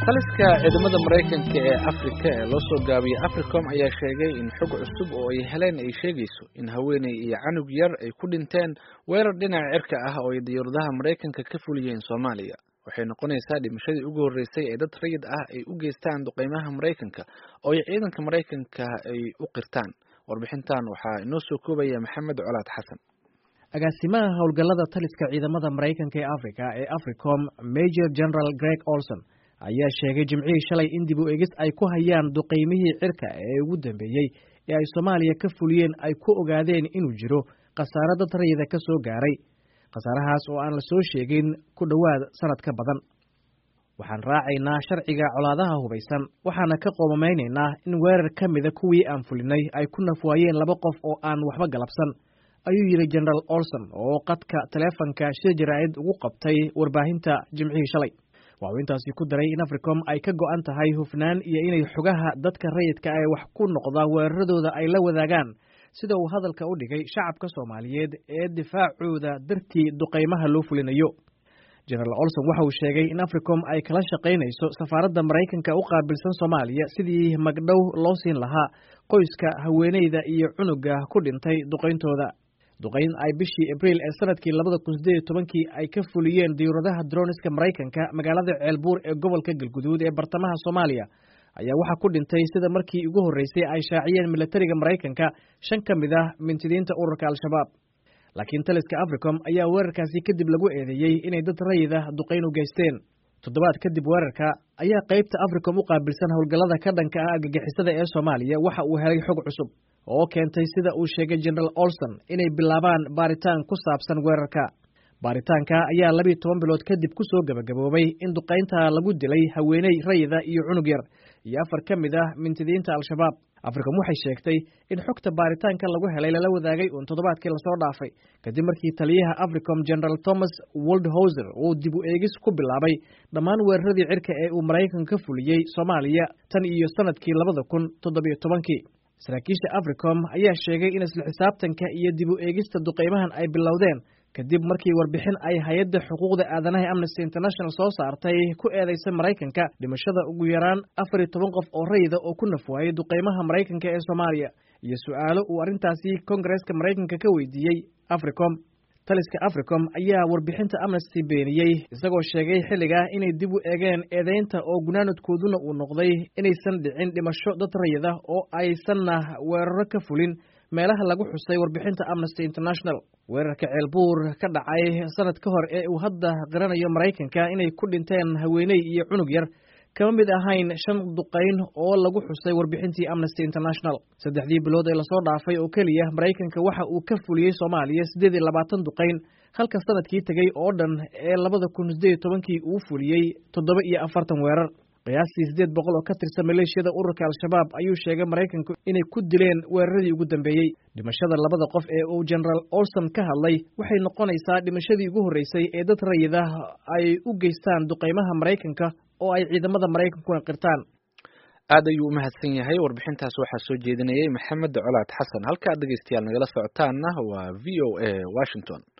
Taliska ciidamada Maraykanka ee Afrika ee loo soo gaabiyey Africom ayaa sheegay in xog cusub oo ay heleen ay sheegayso in haweeney iyo canug yar ay ku dhinteen weerar dhinaca cirka ah oo ay diyaaradaha Maraykanka ka fuliyeen Soomaaliya. Waxay noqonaysaa dhimashadii ugu horreysay ee dad rayid ah ay u geystaan duqeymaha Maraykanka oo ay ciidanka Maraykanka ay u qirtaan. Warbixintan waxaa inoo soo koobaya Maxamed Colaad Xasan. Agaasimaha howlgallada taliska ciidamada Maraykanka ee Afrika ee Africom, Major General Greg Olson, ayaa sheegay Jimcihii shalay in dib u eegis ay ku hayaan duqeymihii cirka ee ugu dambeeyey ee ay Soomaaliya ka fuliyeen ay ku ogaadeen inuu jiro khasaare dad rayida ka soo gaaray, khasaarahaas oo aan la soo sheegin ku dhowaad sanad ka badan. "Waxaan raacaynaa sharciga colaadaha hubaysan, waxaana ka qoomameynaynaa in weerar ka mida kuwii aan fulinay ay ku nafwaayeen laba qof oo aan waxba galabsan," ayuu yidhi General Olson oo qadka taleefanka shir jaraa'id ugu qabtay warbaahinta Jimcihii shalay. Waxuu intaasi ku daray in Africom ay ka go'an tahay hufnaan iyo inay xogaha dadka rayidka ee wax ku noqda weeraradooda ay la wadaagaan, sida uu hadalka u dhigay, shacabka Soomaaliyeed ee difaacooda dartii duqeymaha loo fulinayo. General Olson waxa uu sheegay in Africom ay kala shaqaynayso safaaradda Maraykanka u qaabilsan Soomaaliya sidii magdhow loo siin lahaa qoyska haweeneyda iyo cunuga ku dhintay duqeyntooda. Duqeyn ay bishii Abriil ee sanadkii 2018-kii ay ka fuliyeen diyuuradaha droniska Maraykanka magaalada Ceelbuur ee gobolka Galguduud ee bartamaha Soomaaliya ayaa waxaa ku dhintay, sida markii ugu horreysay ay shaaciyeen militariga Maraykanka, shan ka mid ah mintidiinta ururka Al-Shabaab. Laakiin taliska Africom ayaa weerarkaasi kadib lagu eedeeyey inay dad rayid ah duqeyn u geysteen. Toddobaad kadib weerarka ayaa qaybta Africom u qaabilsan howlgallada ka dhanka ah argagixisada ee Soomaaliya waxa uu helay xog cusub oo keentay, sida uu sheegay General Olson, inay bilaabaan baaritaan ku saabsan weerarka. Baaritaanka ayaa 12 bilood kadib ku soo gebagaboobay in duqaynta lagu dilay haweeney rayida iyo cunug yar iyo afar ka mid ah mintidiinta Al-Shabaab. Africom waxay sheegtay in xogta baaritaanka lagu helay lala wadaagay uun toddobaadkii lasoo dhaafay, kadib markii taliyaha Africom, General Thomas Waldhauser, uu dib u eegis ku bilaabay dhammaan weeraradii cirka ee uu Maraykanka ka fuliyey Soomaaliya tan iyo sanadkii 2017-kii. Saraakiisha Africom ayaa sheegay in isla xisaabtanka iyo dib u eegista duqeymahan ay bilowdeen kadib markii warbixin ay hay-adda xuquuqda aadanaha Amnesty International soo saartay ku eedeysay Maraykanka dhimashada ugu yaraan 14 qof oo rayida oo ku nafwaayay duqeymaha Maraykanka ee Soomaaliya iyo su-aalo uu arrintaasi Kongareeska Maraykanka ka weydiiyey Africom. Taliska Africom ayaa warbixinta Amnesty beeniyey, isagoo sheegay xilligaa inay dib u eegeen eedeynta oo gunaanadkooduna uu noqday inaysan dhicin dhimasho dad rayid ah oo aysanna weeraro ka fulin meelaha lagu xusay warbixinta Amnesty International. Weerarka Ceelbuur ka dhacay sanad ka hor ee uu hadda qiranayo Maraykanka inay ku dhinteen haweeney iyo cunug yar kama mid ahayn shan duqayn oo lagu xusay warbixintii Amnesty International. Saddexdii bilood ee lasoo dhaafay oo keliya, Maraykanka waxa uu ka fuliyey Soomaaliya 28 duqayn, halka sanadkii tegey oo dhan ee 2018-kii uu fuliyey 47 weerar. Qiyaastii 800 oo ka tirsan maleeshiyada ururka Al-Shabaab ayuu sheegay Maraykanku inay ku dileen weeraradii ugu dambeeyey. Dhimashada labada qof ee uu General Olson ka hadlay waxay noqonaysaa dhimashadii ugu horreysay ee dad rayid ah ay u geystaan duqeymaha Maraykanka oo ay ciidamada Maraykankuna qirtaan. Aad ayuu u mahadsan yahay. Warbixintaas waxaa soo jeedinayay Maxamed Colaad Xasan. Halka aad dhegeystayaal nagala socotaanna waa VOA Washington.